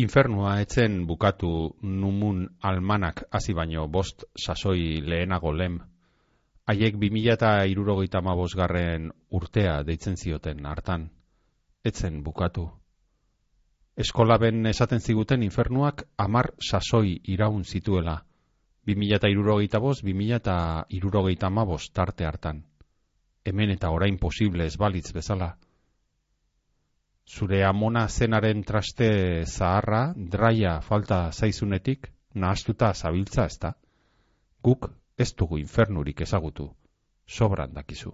Infernua etzen bukatu numun almanak hasi baino 5 sasoi lehenago lem. Haiek 2075 urtea deitzen zioten hartan. Etzen bukatu. Eskolaben esaten ziguten infernuak 10 sasoi iraun zituela. 2075-2075 tarte hartan. Hemen eta orain posible ez balitz bezala. Zure amona zenaren traste zaharra, draia falta zaizunetik, nahastuta zabiltza ezta. Guk ez dugu infernurik ezagutu, sobran dakizu.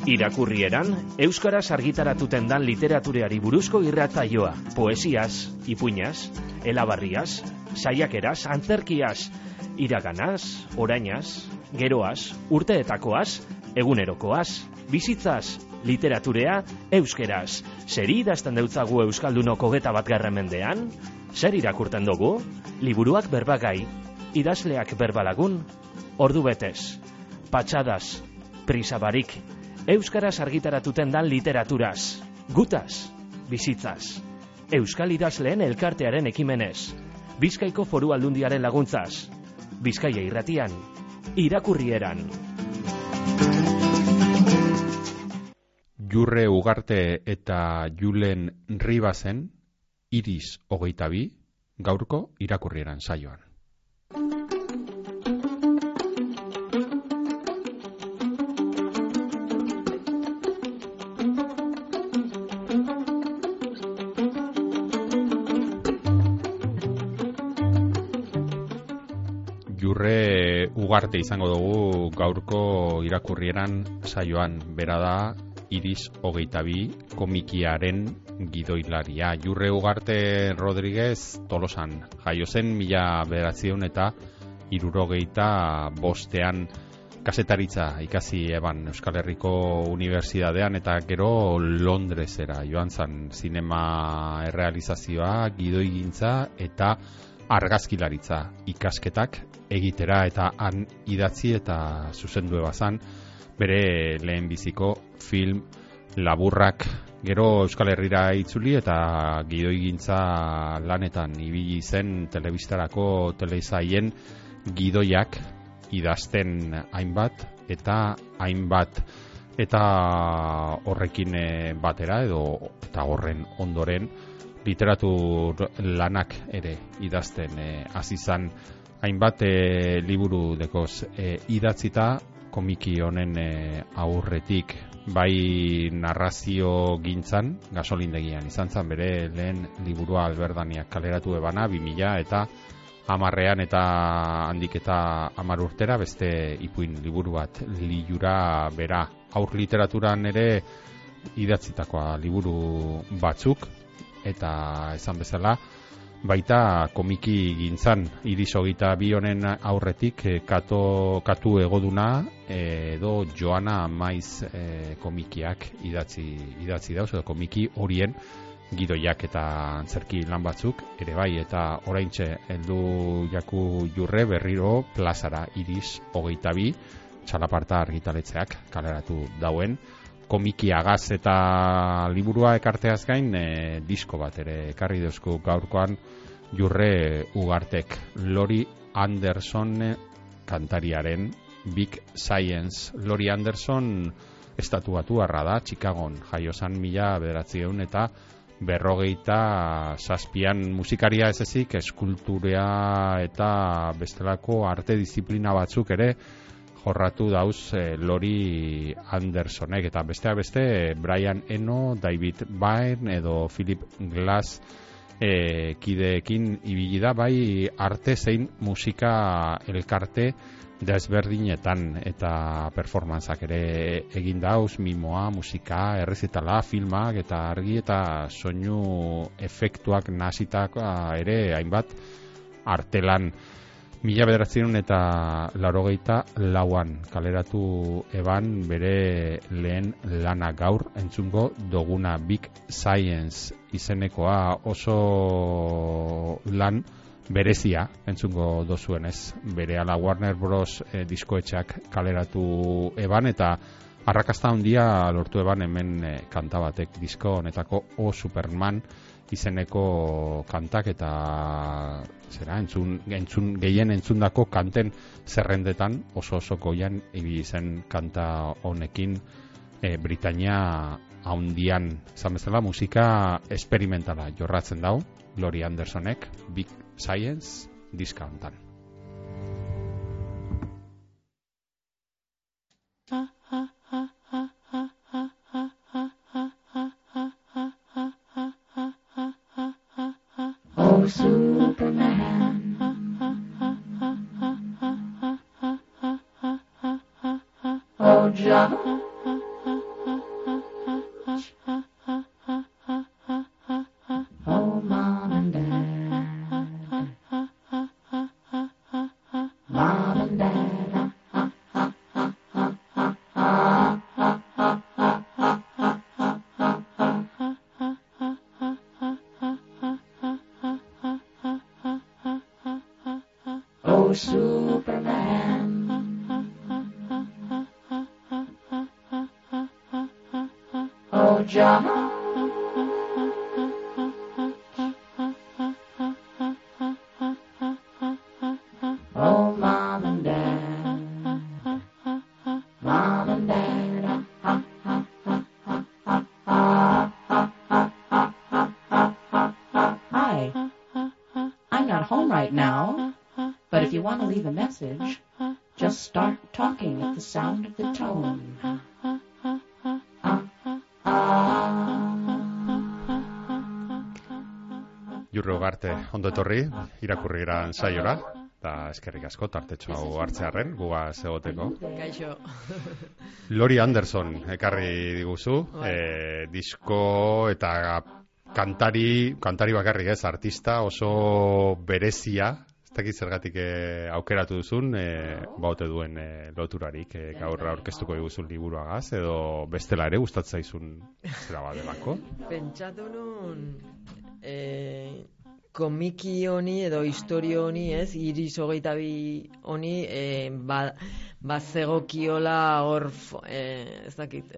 Irakurrieran, euskaraz argitaratuten dan literatureari buruzko irratsaioa, poesiaz, ipuinaz, elabarriaz, saiakeraz, antzerkiaz, iraganaz, orainaz, geroaz, urteetakoaz, egunerokoaz, bizitzaz, literaturea euskeraz. Zer idazten deutzagu euskaldunok 21. mendean? Zer irakurten dugu? Liburuak berbagai, idazleak berbalagun, ordu betez, patxadaz, prisabarik, euskaraz argitaratuten dan literaturaz, gutaz, bizitzaz, euskal idazleen elkartearen ekimenez, Bizkaiko Foru Aldundiaren laguntzaz, Bizkaia irratian, irakurrieran. Jurre Ugarte eta Julen Ribasen, Iris 22, gaurko irakurrieran saioan. Jurre Ugarte izango dugu gaurko irakurrieran saioan, bera da Iris 22 komikiaren gidoilaria. Jurre Ugarte Rodríguez Tolosan jaio zen 1975 kasetaritza ikasi eban Euskal Herriko Unibertsitatean eta gero Londresera joan zen zinema errealizazioa, gidoigintza eta argazkilaritza ikasketak egitera eta han idatzi eta zuzendu ebazan bere lehenbiziko film laburrak. Gero Euskal Herrira itzuli eta gidoigintza lanetan ibili zen telebistarako telesaien gidoiak idazten hainbat eta horrekin batera eta horren ondoren literatur lanak ere idazten hasi zan hainbat liburu dekoz idatzita komiki honen aurretik, bai narrazio gintzan, gasolindegian izan zan bere lehen liburua Alberdaniak kaleratu ebana 2010 eta handik eta 10 urtera beste ipuin liburu bat Lilura bera. Aur literaturan ere idatzitakoa liburu batzuk eta esan bezala baita komiki gintzan. Iris 22 honen aurretik katu egoduna edo Joana Maiz komikiak idatzi dauz edo komiki horien gidoiak eta antzerki lan batzuk ere bai, eta oraintxe heldu jaku Jurre berriro plazara Iris 22 txalaparta argitaletxeak kaleratu dauen komikiagaz eta liburua ekarteaz gain disko bat ere ekarri dozku gaurkoan Jurre Ugartek. Lori Anderson kantariaren Big Science. Lori Anderson estatuatuarra da, Chicagon jaio zan 1957 musikaria ez ezik, eskulturea eta bestelako arte disiplina batzuk ere jorratu dauz Lori Andersonek, eta besteak beste Brian Eno, David Byrne edo Philip Glass kideekin ibili da, bai arte zein musika elkarte desberdinetan eta performantzak ere egin dauz, mimoa, musika, errezitala, filmak eta argi eta soinu efektuak nahasitak ere hainbat artelan. 1984an kaleratu eban bere lehen lana gaur entzungo doguna Big Science izenekoa, oso lan berezia entzungo dozuenez. Berehala Warner Bros. Diskoetxeak kaleratu eban eta arrakasta handia lortu eban hemen kanta batek, disko honetako O Superman izeneko kantak eta zera, gehien entzundako kanten zerrendetan oso goian ibili zen kanta honekin Britania haundian, izan bezala musika esperimentala jorratzen dau Laurie Andersonek Big Science diska hontan. Oh, Superman. Oh, John. Oh, Mom and Dad. Mom and Dad. Oh, Superman. Oh, John. Oh, Mom and Dad. Mom and Dad. Hi. I'm not home right now, but if you want to leave a message, just start talking at the sound of the tone. Jurre Ugarte, ondo etorri, irakurri eran saiora, eta eskerrik asko, tartetxo hau hartzearen, guga egoteko. Gaixo. Laurie Anderson ekarri diguzu, disko eta kantari bakarrik ez, artista oso berezia, ez dakit zergatik aukeratu duzun, baute duen loturarik gaur aurkeztuko diguzun liburuagaz, edo bestela ere gustatzen zaizun zera badelako. Pentsatu nun komiki honi edo historio honi, ez, Iris 22 honi, bazegokiola hor, ez dakit,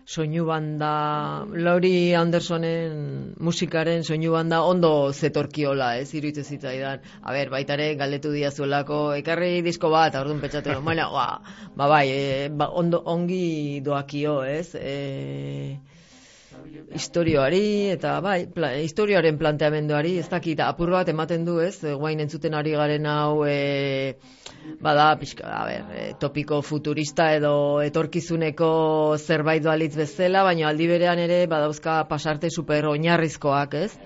soinu banda, Laurie Andersonen musikaren soinu banda ondo zetorkiola, ez, iruditzen zitzaidan. A ber, baitare galdetu diazuelako, ekarri disko bat, orduan pentsatu, bueno, ongi doakio, ez, historioari eta bai, historioaren planteamenduari, ez dakit, apur bat ematen du, ez, guain entzuten ari garen hau, bada, pixka, topiko futurista edo etorkizuneko zerbait balitz bezala, baina aldi berean ere badauzka pasarte super oinarrizkoak, ez?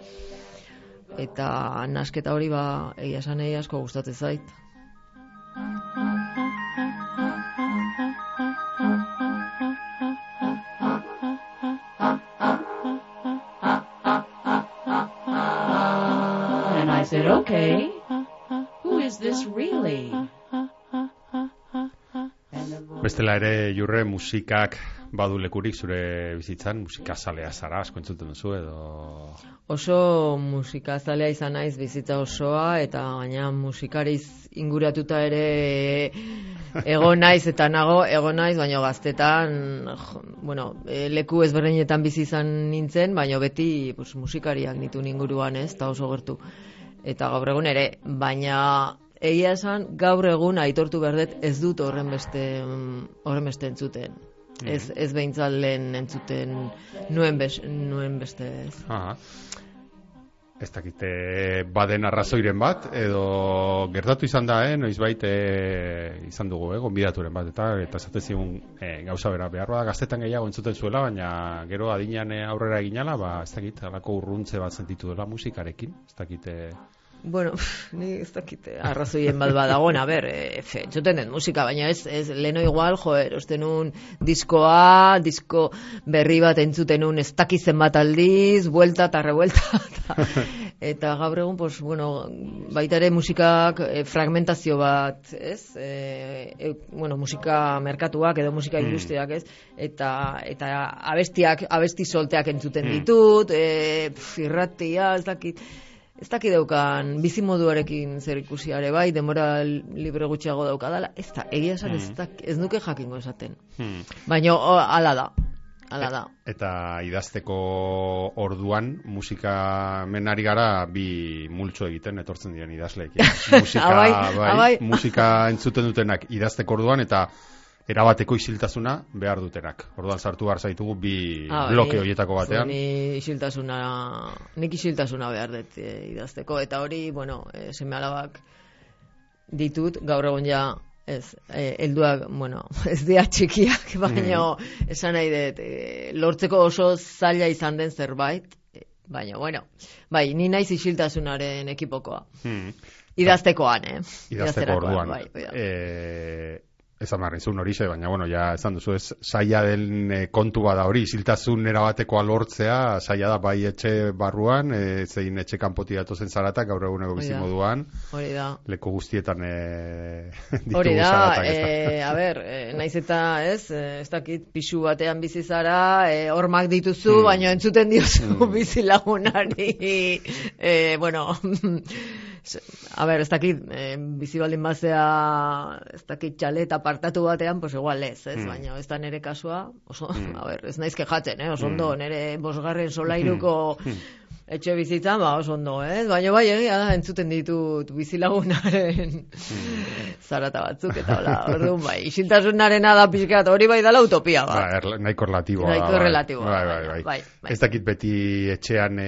Eta nasketa hori egia esan asko gustatzen zait. And I said, okay, who is this really? Bestela ere, Jurre, musikak badu lekurik zure bizitzan, musikazalea zara, asko entzuten duzu edo... Oso musikazalea izan naiz bizitza osoa, eta gaina musikariz inguratuta ere egon naiz, eta egon naiz, baina gaztetan, leku ezberdinetan bizi izan nintzen, baina beti musikariak nituen inguruan, ez, eta oso gertu. Eta gaur egun ere, baina... Egia esan, gaur egun aitortu berdet ez dut horren beste entzuten. Ez behintzat lehen entzuten nuen beste ez. Ez dakite baden arrazoiren bat, edo gertatu izan da, noizbait izan dugu, gonbidaturen bat, eta esaten zigun gauza bera behar da, gaztetan gehiago entzuten zuela, baina gero adinean aurrera eginala, ez dakit, alako urruntze bat sentitu dela musikarekin, ez dakite... Bueno, ni ez dakit arrazoien bat badagoen, entzuten den musika, baina ez leno igual, osten un disko berri bat entzuten un ez dakizen bat aldiz, buelta eta revuelta, eta gaur egun, baita ere musikak fragmentazio bat, ez? Musika merkatuak edo musika industriak, ez? Eta abesti solteak entzuten ditut, irratia, ez dakit... ez daki daukan bizimoduarekin zer ikusiare bai, denbora libre gutxiago daukadala, ez da, egia esan ez nuke jakingo esaten. Baina hala da. Eta idazteko orduan musika menari gara bi multzo egiten etortzen diren idazleekin. Musika entzuten dutenak idazteko orduan eta erabateko isiltasuna behar dutenak. Orduan sartu behar zaitugu bi bloke horietako batean. Nik isiltasuna behar dut idazteko eta hori, seme alabak ditut, gaur egun ja helduak, ez dira txikiak, baina esan nahi dut, lortzeko oso zaila izan den zerbait, baina, bai, ni naiz isiltasunaren ekipokoa. Idaztekoan, idazteko orduan. Esan marrizun hori ze, baina, ja, esan duzu ez, saia den kontu bada hori, isiltasun erabatekoa lortzea, saia da bai etxe barruan, zein etxe kanpoti datozen zaratak, gaur eguneko bizimoduan, leku guztietan hori da, naiz eta ez dakit pixu batean bizi zara, hormak dituzu, baina entzuten diozu bizilagunari, ez dakit, bizi baldin bazea, ez dakit txalet apartatu batean, pues igual ez, baina ez da nire kasua, ez naiz kejatzen, oso ondo, nire bosgarren solairuko etxe bizitzan, oso ondo, baina bai egia da, entzuten ditut bizilagunaren zarata batzuk, eta hola, orduan bai, isiltasunarena da pixkat, hori bai dala utopia, nahiko relatiboa. Nahiko relatiboa, bai. Ez dakit beti etxean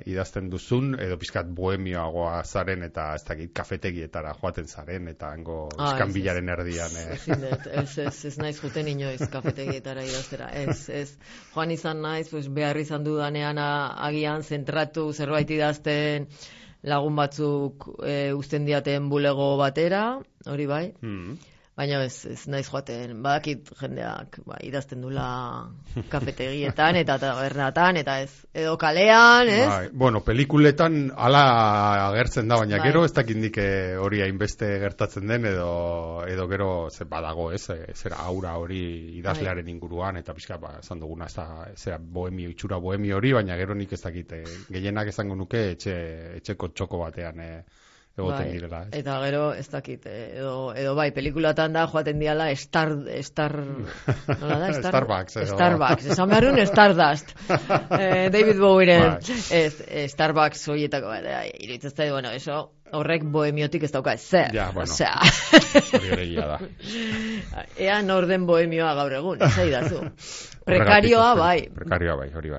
idazten duzun, edo pixkat bohemioagoa zaren, eta ez dakit kafetegietara joaten zaren, eta hango iskanbilaren erdian. Ez naiz juten inoiz kafetegietara idaztera, ez. Joan izan naiz, behar izan dudanean agian zentratu zerbait idazten lagun batzuk uzten diaten bulego batera, hori bai. Baina ez naiz joaten, badakit jendeak idazten dula kafetegietan eta tabernatan, eta ez, edo kalean, ez? Pelikuletan ala agertzen da, baina gero ez dakindik hori hainbeste gertatzen den, edo gero badago, ez? Zera aura hori idazlearen inguruan, eta pixka, esan duguna, zera bohemio, itxura bohemio hori, baina gero nik ez dakit, gehienak esango nuke etxeko txoko batean, egoten direla. Eta gero, ez dakit, edo bai, pelikulatan da joaten diala nola da? Starbucks. Starbucks, esan beharun Stardust. David Bowieren Starbucks horietako bat, iruditzen zait, eso horrek bohemiotik ez dauka ezer. Hori ere gila da. Ea norden bohemioa gaur egun, ez aidazu. Prekarioa bai, hori bai.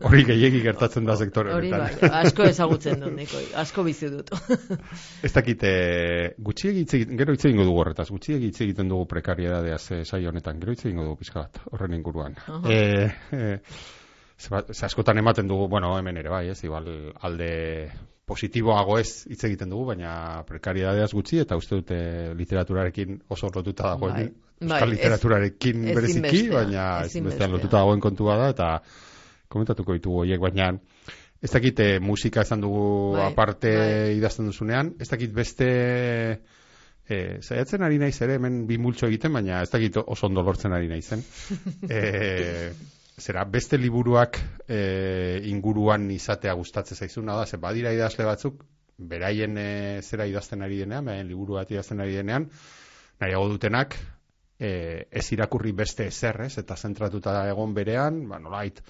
Hori gehiegi gertatzen da sektore honetan. Hori bai, asko ezagutzen dut, Nikoi, asko bizi dut. Ez dakit, gero hitz egingo dugu horretaz, gutxiegi hitz egiten dugu prekariedadeaz saio honetan, gero hitz egingo dugu pixka bat, horren inguruan. Askotan ematen dugu, hemen ere bai, ez, igual alde positiboago ez hitz egiten dugu, baina prekariedadeaz gutxi, eta uste dute literaturarekin oso lotuta dagoen, euskal literaturarekin bereziki, baina ezinbestean lotuta dagoen kontua da, eta komentatuko ditugu horiek, baina ez dakit musika esan dugu aparte idazten duzunean, ez dakit beste zaiatzen ari naiz ere, hemen bi multxo egiten, baina ez dakit oso ondo lortzen ari naizen. Beste liburuak inguruan izatea gustatzen zaizuna da, badira idazle batzuk, beraien zera idazten ari denean, beraien liburu bat idazten ari denean, nahiago dutenak, ez irakurri beste ezer, eta zentratuta egon berean, nolait,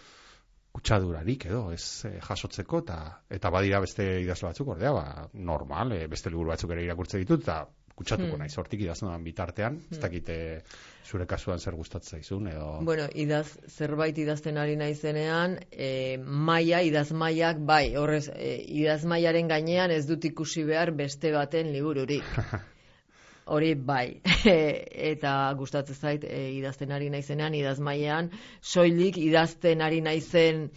kutsadurarik edo, ez jasotzeko, eta badira beste idazle batzuk, ordea, normal, beste liburu batzuk ere irakurtze ditut, eta kutsatuko naiz, hortik idazten bitartean, ez dakite zure kasuan zer gustatzen zaizun, edo... zerbait idazten ari naizenean, idazmaiak, bai, horrez, idazmaiaren gainean ez dut ikusi behar beste baten libururik. Hori bai, eta gustatzen zait idazten ari naizenean, idazmailean, soilik idazten ari naizen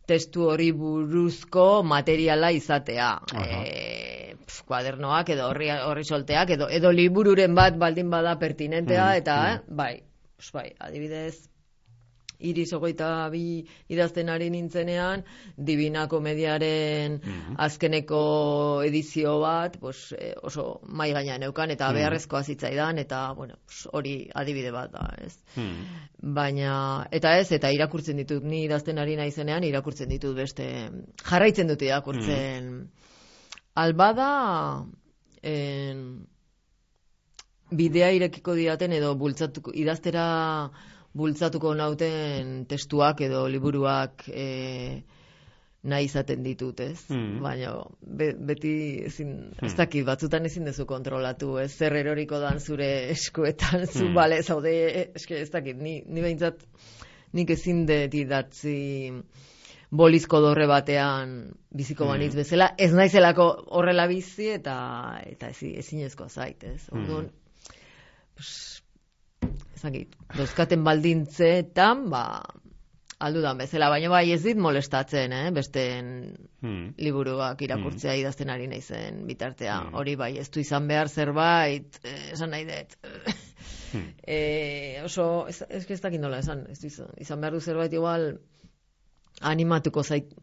testu hori buruzko materiala izatea. Kuadernoak edo horri solteak, edo libururen bat baldin bada pertinentea, eta bai, adibidez, Iris 22 idazten ari nintzenean, Divina Komediaren azkeneko edizio bat, pues, oso mai gainean neukan, eta beharrezkoa zitzaidan, eta, bueno, hori adibide bat da, ez? Baina, eta irakurtzen ditut, ni idazten ari naizenean, irakurtzen ditut beste, jarraitzen dut irakurtzen. Albada, bidea irekiko didaten edo idaztera bultzatuko nauten testuak edo liburuak nahi izaten ditut, ez? Baina beti ez dakit, batzutan ezin dezu kontrolatu, ez? Zer eroriko dan zure eskuetan, zu bale zaude, ez dakit, ni behintzat nik ezin dut idatzi bolizko dorre batean biziko banitz bezala, ez naizelako horrela bizi eta ezinezkoa zait, ez? Orduan, ezagit, dozkaten baldintzeetan, aldudan bezala, baina bai ez dit molestatzen, besteen liburuak irakurtzea idazten ari naizen bitartea. Hori bai, ez du izan behar zerbait, esan nahi dut. Oso, ez dakit nola esan, ez du izan behar du zerbait igual animatuko zait,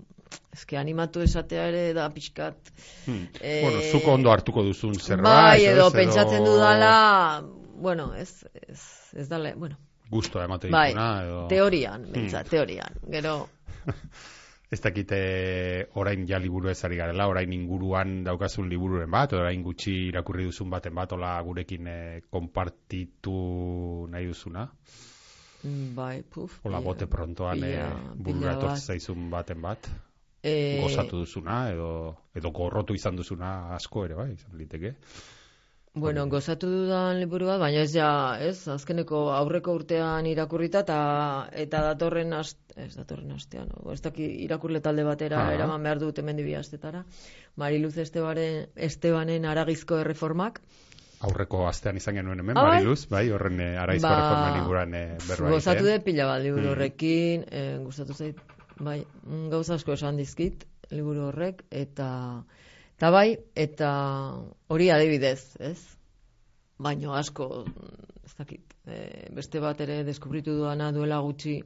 animatu esatea ere da pixkat. Bueno, zuko ondo hartuko duzun zerbait. Bai, edo pentsatzen dudala, bueno, ez dala, bueno. Gustoa emate dituna, edo... Teorian, teorian, gero... Ez dakite orain ja liburu ezari garela, orain inguruan daukazun libururen bat, orain gutxi irakurri duzun baten bat, ola gurekin konpartitu nahi duzuna. Bai, Ola bote prontoan bururatu zaizun baten bat. Gozatu duzuna, edo gorrotu izan duzuna asko ere, bai, izan liteke. Bueno, gozatu dudan liburu bat, baina azkeneko aurreko urtean irakurrita eta datorren astean, ez daki irakurle talde batera eraman behar dut hemen 2 astetara. Mariluz Estebanen Aragizko Erreformak. Aurreko astean izan genuen hemen, Mariluz, bai, horren Aragizko Erreforman inguruan berba. Gozatu dut pila bat liburu horrekin, gustatu zait, bai, gauza asko esan dizkit liburu horrek, eta bai, eta hori adibidez, ez? Baino asko, ez dakit, beste bat ere deskubritu duana duela gutxi,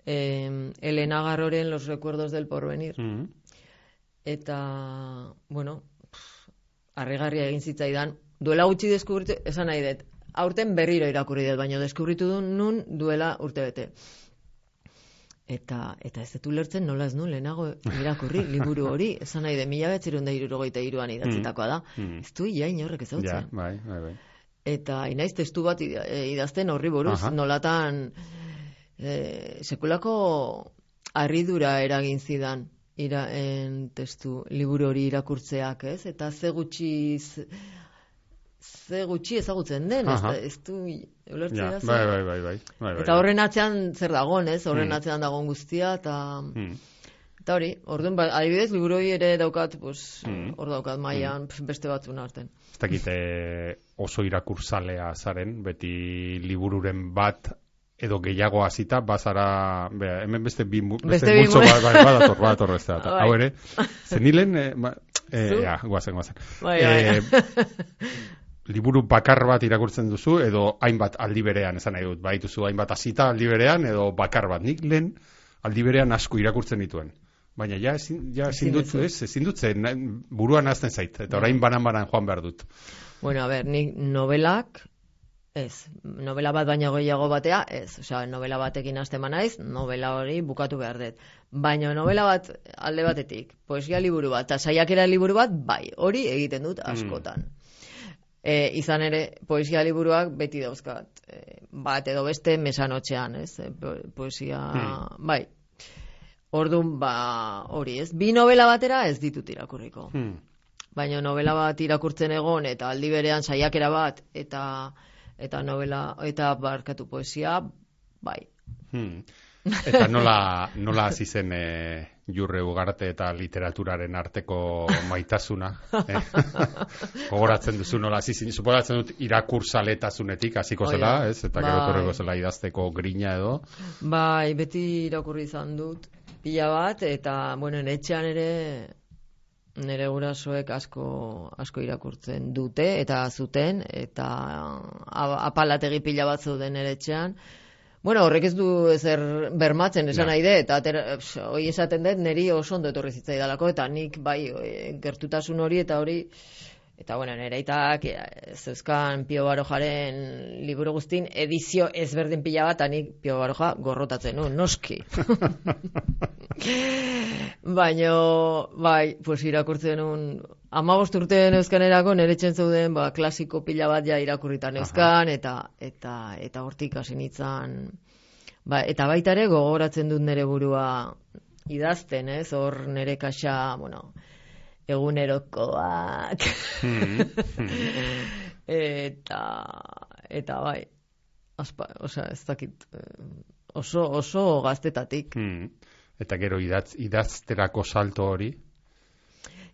Elena Garroren Los Recuerdos del Porvenir. Eta, bueno, harrigarria egin zitzaidan, duela gutxi deskubritu, esan nahi dut, aurten berriro irakurri dut, baina deskubritu du nun duela urtebete. Eta ez dut ulertzen nola ez nuen lehenago irakurri liburu hori, esan nahi de 1973an idatzitakoa da. Ez du inorrek ezautzen. Bai. Eta inaiz testu bat idazten horri buruz, nolatan sekulako harridura eragin zidan testu liburu hori irakurtzeak, ez? Eta ze gutxi ezagutzen den, ez du ulertzea da. Bai. Eta horren atzean zer dagoen, ez? Horren atzean dagoen guztia, eta hori, orduan, adibidez, liburu hori ere daukat, hor daukat mailan beste batzun artean. Ez dakite oso irakurzalea zaren, beti libururen bat edo gehiago hasita bazara, hemen beste multzo badator ez da. Hau ere, zenilen, guazen. Liburu bakar bat irakurtzen duzu, edo hainbat aldi berean, esan nahi dut, baituzu hainbat hasita aldi berean, edo bakar bat. Nik lehen aldi berean asko irakurtzen dituen. Baina ezin dut zen, buruan hazten zait, eta orain banan joan behar dut. Bueno, a ber, nik novelak, novela bat baina gehiago batea, osea, novela batekin hasten naiz, novela hori bukatu behar dut. Baina novela bat alde batetik, poesia liburu bat, eta saiakera liburu bat, bai, hori egiten dut askotan. Izan ere, poesia liburuak beti dauzkat, bat edo beste mesanotxean, ez? Poesia, bai. Orduan, hori, ez? 2 novela batera ez ditut irakurriko. Baina novela bat irakurtzen egon, eta aldi berean saiakera bat, eta novela, eta barkatu poesia, bai. Eta nola hasi zen Jurre Ugarte eta literaturaren arteko maitasuna? Gogoratzen duzu nola hasi zen, suposatzen dut irakurzaletasunetik hasiko zela, ez? Eta gero torreko zela idazteko grina edo. Bai, beti irakurri izan dut pila bat, eta, bueno, etxean ere nire gurasoek asko irakurtzen dute, eta zuten, eta apalategi pila bat zeuden nire etxean. Bueno, horrek ez du ezer bermatzen esan nahi dut, eta hori esaten dut, niri oso ondo etorri zitzaidalako, eta nik bai gertutasun hori eta hori, eta bueno, nire aitak zeuzkan Pio Barojaren liburu guztin edizio ezberdin pila bat, eta nik Pio Baroja gorrotatzen nuen, noski. Baina, bai, pues irakurtzen nuen, 15 urte neuzkanerako nire etxen zeuden klasiko pila bat ja irakurritan neuzkan, eta hortik hasi nintzen, eta baita ere gogoratzen dut nire burua idazten, ez? Hor nire kaxa, bueno, egunerokoak, eta bai, ez dakit, oso gaztetatik. Eta gero idazterako salto hori?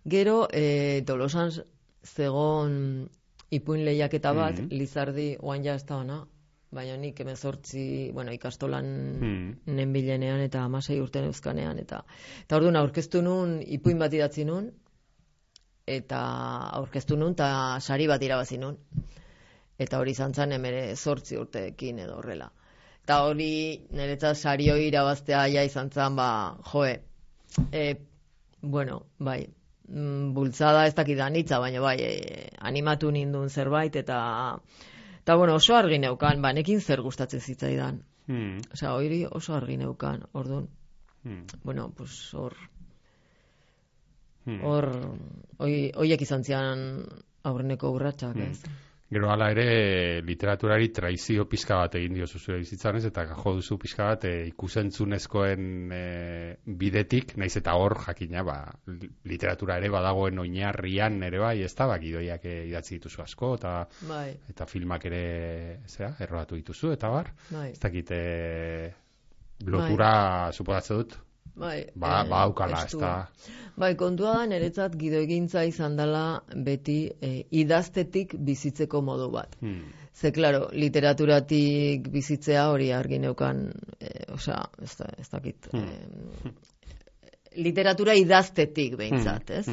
Gero, Tolosan zegon ipuin lehiaketa bat, Lizardi, oan ja ez da ona, baina nik 18, ikastolan nenbilenean eta 16 urte neuzkanean, eta orduan aurkeztu nun, ipuin bat idatzi nun, eta aurkeztu nun, eta sari bat irabazi nun. Eta hori izan zen 18 urteekin edo horrela. Eta hori niretzat sari hori irabaztea ja izan zen, bai, bultzada ez dakidan hitza, baina bai, animatu nindun zerbait, eta bueno, oso argi neukan, nekin zer gustatzen zitzaidan. Osea, hori oso argi neukan, orduan. Bueno, pues horiek izan zian aurreneko urratsak, ez? Gero hala ere literaturari traizio pizka bat egin diozu zure bizitzan, ez? Eta jo duzu pizka bat ikusentzunezkoen bidetik, naiz eta hor jakina, literatura ere badagoen oinarrian ere bai, ez da, gidoiak idatzi dituzu asko, eta filmak ere errobatu dituzu, eta bar, ez dakit lotura suposatzen dut. Aukala, ez da. Bai, kontua da, niretzat gidoigintza izan dela beti idaztetik bizitzeko modu bat. Ze, klaro, literaturatik bizitzea hori argi neukan, ez dakit, literatura idaztetik behintzat, ez?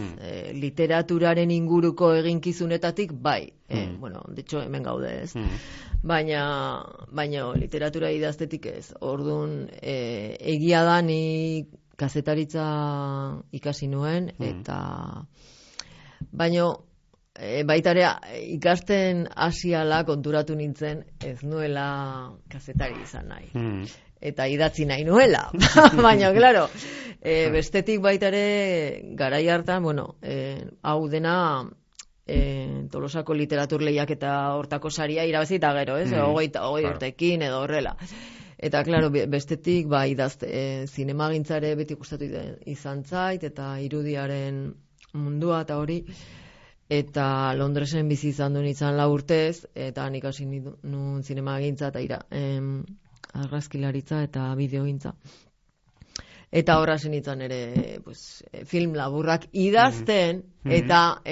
Literaturaren inguruko eginkizunetatik, bai. Bueno, de hecho, hemen gaude, ez? Baina literatura idaztetik ez. Orduan, egia da ni kazetaritza ikasi nuen, eta baina baita ere ikasten hasiala konturatu nintzen ez nuela kazetari izan nahi. Eta idatzi nahi nuela. Baina, klaro, bestetik baita ere garai hartan, hau dena Tolosako literatur lehiak eta hortako saria irabazi eta gero, ez? 20 urtekin edo horrela. Eta, klaro, bestetik, zinemagintzare beti gustatu izan zait, eta irudiaren mundua eta hori, eta Londresen bizi izan duen izan 4 urtez, eta nik hasi nun zinemagintza eta argazkilaritza eta bideogintza. Eta horra zenitzen ere film laburrak idazten eta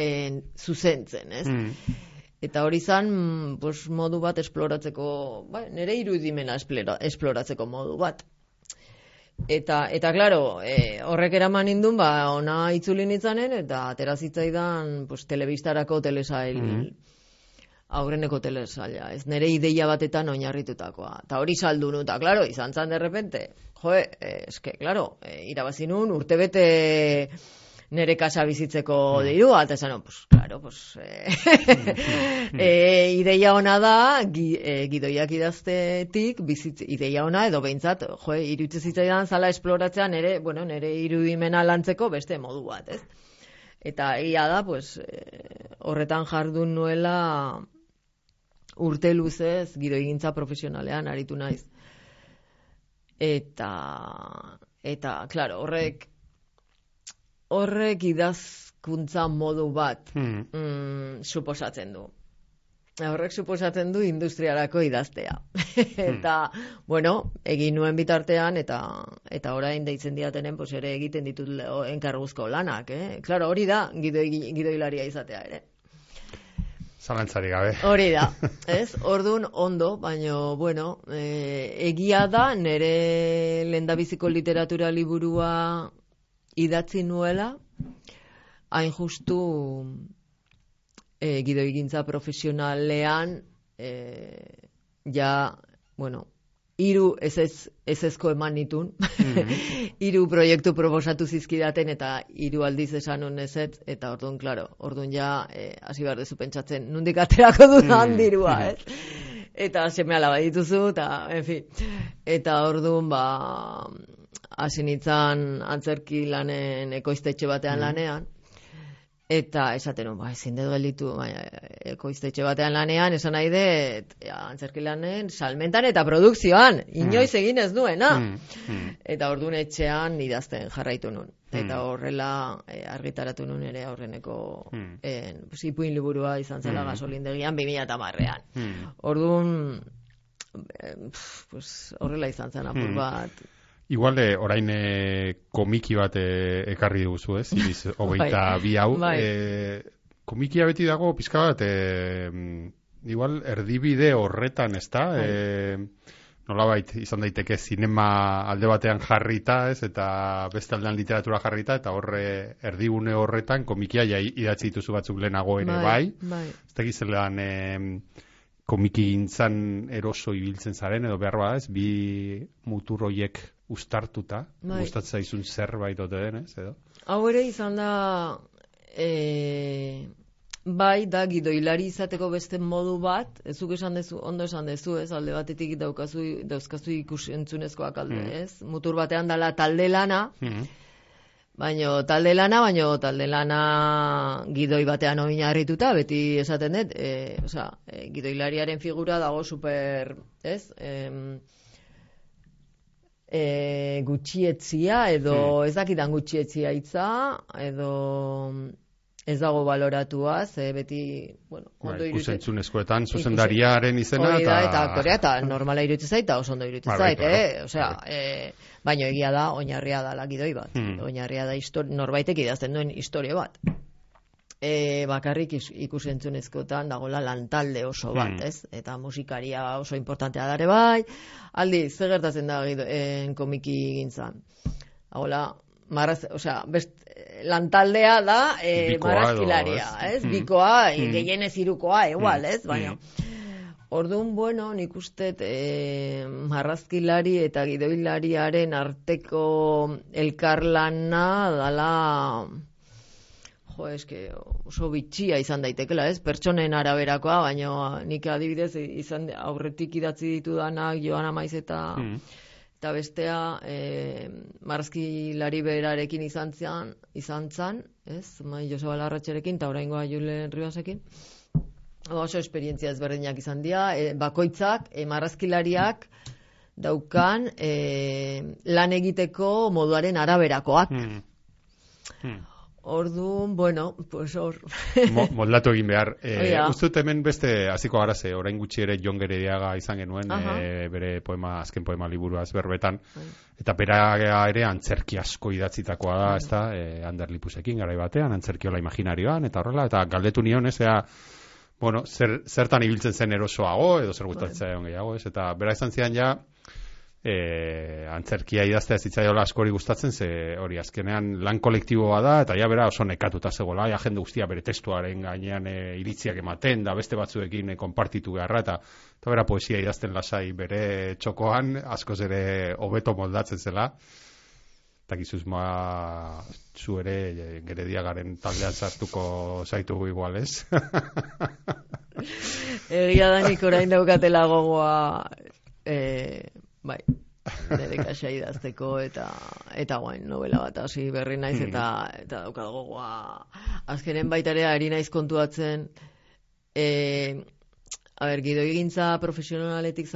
zuzentzen, ez? Eta hori zan modu bat esploratzeko, nire irudimena esploratzeko modu bat. Eta klaro, horrek eraman nindun, ona itzuli nitzanen, eta atera zitzaidan telebistarako telesail, aurreneko telesaila, ez nire ideia batetan oinarritutakoa. Eta hori saldu nu, eta klaro, izan zan derrepente, klaro, irabazi nun, urtebete nire kasa bizitzeko dirua, eta esan, klaro, ideia ona da, gidoiak idaztetik, ideia ona, edo behintzat, iruditzen zitzaidan zala esploratzea nire irudimena lantzeko beste modu bat, ez? Eta egia da, horretan jardun nuela urte luzez gidoigintza profesionalean aritu naiz. Eta claro, horrek idazkuntza modu bat suposatzen du. Horrek suposatzen du industriarako idaztea. Eta, egin nuen bitartean, eta orain deitzen diatenen, ere egiten ditut enkarguzko lanak. Claro, hori da gidoilaria izatea ere. Zalantzari gabe. Hori da, ez? Orduan ondo, baina, egia da, nire lehendabiziko literatura liburua idatzi nuela, hain justu gidoigintza profesionalean hiru ezezko eman nitun. Hiru proiektu proposatu zizkidaten eta hiru aldiz esan nun ezetz, eta orduan, klaro, orduan ja hasi behar dezu pentsatzen, nondik aterako dudan dirua, ez? Eta seme-alaba dituzu, eta, en fin. Eta orduan, hasi nintzen antzerki lanen ekoiztetxe batean lanean, eta esaten ezin dut gelditu ekoiztetxe batean lanean, esan nahi dut, antzerki lanen salmentan eta produkzioan, inoiz egin ez duena. Eta orduan etxean idazten jarraitu nun. Eta horrela argitaratu nun ere aurreneko ipuin liburua izan zela gasolindegian 2010ean. Orduan, horrela izan zen apur bat. Igual, orain komiki bat ekarri duzu, ez? Iriz, 22 hau. Komikia beti dago, pizka bat, igual, erdibide horretan, ez da? Nolabait, izan daiteke, zinema alde batean jarrita, ez? Eta beste aldean literatura jarrita, eta horre erdigune horretan, komikia idatzi dituzu batzuk lehenago ere, bai? Ez da gizelan komiki gintzan eroso ibiltzen zaren, edo behar bada, ez? Bi mutur hoiek ustartuta, gustatzen zaizun zerbait ote denez, edo? Hau ere izan da, bai, da gidoilari izateko beste modu bat, ezuk esan dezu, ondo esan dezu, ez, alde batetik dauzkazu ikusentzunezkoak alde, ez? Mutur batean dala talde lana, baino talde lana gidoi batean oinarrituta, beti esaten dut, gidoilariaren figura dago super, ez? Gutxietzia edo ez dakidan gutxietzia hitza edo ez dago baloratua, beti, bueno, ondo iruditzen. Ikusentzunezkoetan zuzendariaren izena eta aktorea eta normala iruditzen zait, eta oso ondo iruditzen zait, osea, baino egia da oinarria da gidoi bat. Oinarria da norbaitek idazten duen historia bat. Bakarrik ikusentzunezkoetan dagoela lantalde oso bat, ez? Eta musikaria oso importantea dare bai. Aldi, ze gertatzen da komiki gintzan? Hagola, lantaldea da marrazkilaria, ez? Bikoa, gehienez hirukoa, igual, ez? Baina, orduan, bueno, nik ustet marrazkilari eta gidoilariaren arteko elkarlana dala... oso bitxia izan daitekela, ez? Pertsonen araberakoa, baina nik adibidez aurretik idatzi ditudanak Joana Maiz eta bestea marrazkilari berarekin izan zan, ez? Joseba Larratxerekin eta oraingoa Julen Ribasekin. Oso esperientzia ezberdinak izan dira, bakoitzak marrazkilariak daukan lan egiteko moduaren araberakoak. Orduan, bueno, pues hor. Moldatu egin behar. Uztut hemen beste hasiko gara ze, orain gutxi ere Jon Gerediaga izan genuen, bere azken poema liburuaz berbetan, eta bera ere antzerki asko idatzitakoa da, ez da, Ander Lipusekin garai batean, antzerkiola imaginarioan, eta horrela, eta galdetu nion, ez, bueno, zertan ibiltzen zen erosoago, edo zer gustatzen gehiago, ez, eta bera izan zidan ja, antzerkia idaztea zitzaiola askori gustatzen, ze hori azkenean lan kolektiboa da, eta ja bera oso nekatuta zegoela, ja jende guztia bere testuaren gainean iritziak ematen, da beste batzuekin konpartitu beharra, eta bera poesia idazten lasai bere txokoan, askoz ere hobeto moldatzen zela, eta gizuz zu ere Gerediagaren taldean sartuko zaitugu igual, ez? Egia da nik orain daukatela gogoa bai, nire kaxa idazteko eta guain novela bat hasi berri naiz eta daukat gogoa azkenen baitarea ari naiz kontuatzen gidogintza profesionaletik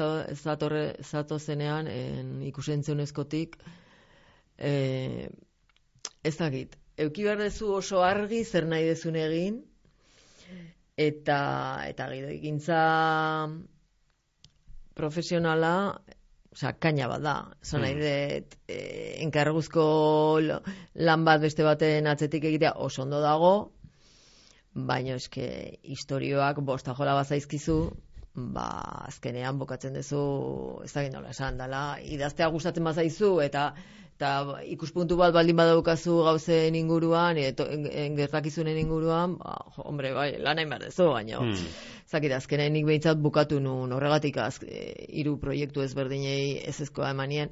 zatozenean ikusentzunezkotik ez dakit, euki behar dezu oso argi zer nahi dezun egin eta gidogintza profesionala kaina bat da, zan nahi dut enkarguzko lan bat beste baten atzetik egitea oso ondo dago, baina eske historioak bostajola bazaizkizu, azkenean bokatzen duzu, ez da nola esan, dala, idaztea gustatzen bazaizu, eta eta ikuspuntu bat baldin badaukazu gauzen inguruan, gertakizunen inguruan, hombre, bai, lan hain behar dezu, baina, zakit, azkenean nik behintzat bukatu nun, horregatik 3 proiektu ezberdinei ezezkoa emanien,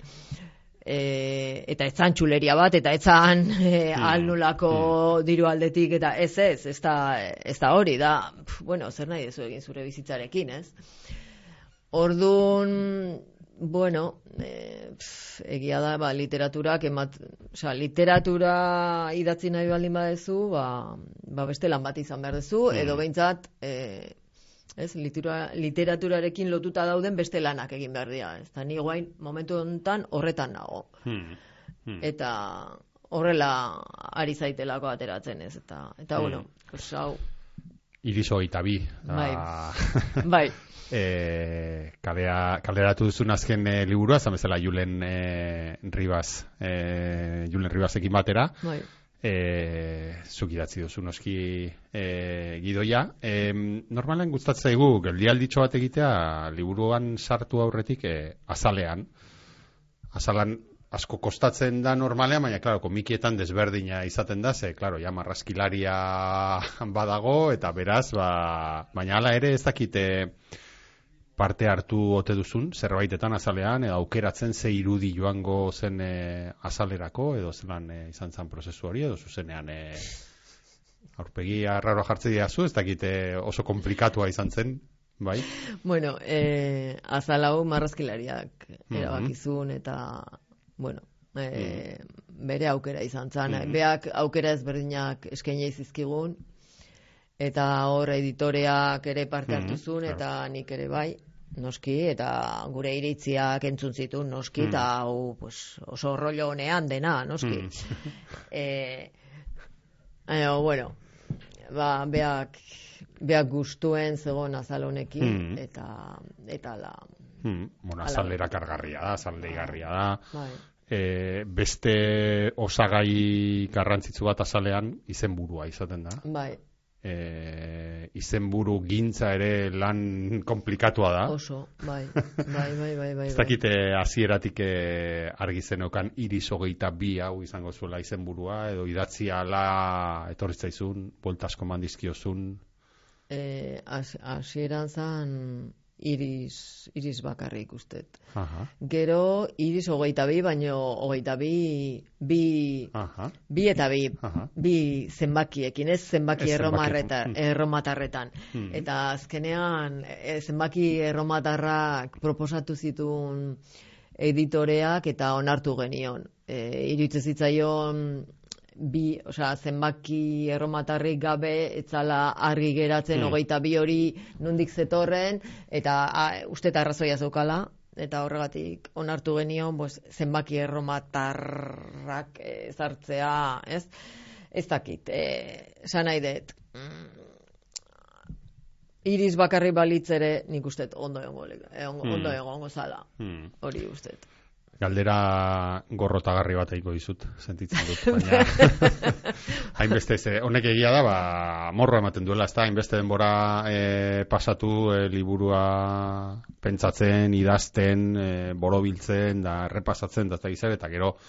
eta etzan txuleria bat, eta etzan alnulako diru aldetik, eta ez da hori, da, bueno, zer nahi dezu egin zure bizitzarekin, ez? Orduan, bueno, egia da, literaturak literatura idatzi nahi baldin badezu, beste lan bat izan behar dezu, edo behintzat, literaturarekin lotuta dauden beste lanak egin behar dira. Eta ni guain momentu honetan horretan nago. Eta horrela ari zaitelako ateratzen ez. Eta bueno, hau... Iris 22. Bai. Kaleratu duzun azken liburua, zan bezala Julen Ribasekin batera. Bai. Zuk idatzi duzu noski gidoia. Normalen gustatzen zaigu geldialditxo bat egitea liburuan sartu aurretik azalean asko kostatzen da normalean, baina claro, komikietan desberdina izaten da, ze claro, ja marraskilaria badago eta beraz, baina hala ere ez dakite parte hartu ote duzun, zerbaitetan azalean, edo aukeratzen ze irudi joango zen azalerako, edo zelan izan zen prozesu hori, edo zuzenean aurpegi arraroa jartze diazu, ez dakite oso komplikatua izan zen, bai? Bueno, azalau marrazkilariak erabakizun, eta, bueno, bere aukera izan zen, beak aukera ezberdinak eskainei zizkigun, eta hor editoreak ere parte hartu zuen, eta nik ere bai, noski, eta gure iritziak entzun zituen, noski, eta hau oso rollo honean dena, noski. Bueno, beak gustuen zegoen azal honekin, eta la... Bueno, azalera kargarria da, azaldeigarria da. Beste osagai garrantzitsu bat azalean izenburua izaten da. Bai. Izenburu gintza ere lan komplikatua da. Oso, bai. Ez dakite hasieratik argi zenokan Iris 22 hau izango zuela izenburua, edo idatzi ala etorri zaizun, buelta asko mandizkiozun. Hasieran zan Iris bakarrik ustet. Gero Iris 22, baino 22 bi eta bi zenbakiekin, ez zenbaki erromatarretan. Eta azkenean zenbaki erromatarrak proposatu zituen editoreak eta onartu genion. Iruditzen zitzaion zenbaki erromatarrik gabe etzala argi geratzen 22 hori nondik zetorren, eta uste eta arrazoia zeukala, eta horregatik onartu genion zenbaki erromatarrak zartzea, ez? Ez dakit, esan nahi dut. Iris bakarri balitz ere nik uste ondo egongo zala, hori uste. Galdera gorrotagarri bat egingo dizut, sentitzen dut, baina hainbeste honek egia da, morro ematen duela, ez da, hainbeste denbora pasatu liburua pentsatzen, idazten, borobiltzen, da errepasatzen, da eta gero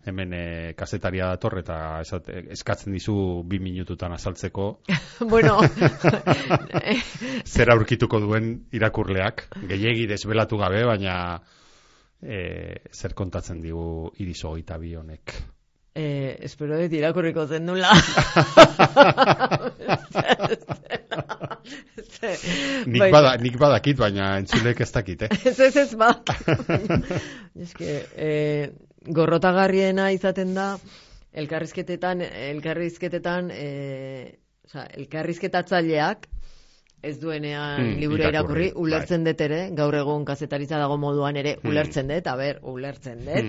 hemen kasetaria dator eta eskatzen dizu 2 minututan azaltzeko. Bueno, zer aurkituko duen irakurleak, gehiegi desbelatu gabe, baina zer kontatzen digu Iris 22 honek? Espero dut irakurriko zen nula. Nik badakit, baina entzulek ez dakit, Ez badakit. Gorrotagarriena izaten da, elkarrizketatzaileak ez duenean liburu irakurri, ulertzen dut ere, gaur egun kazetaritza dago moduan ere, ulertzen dut, ulertzen dut,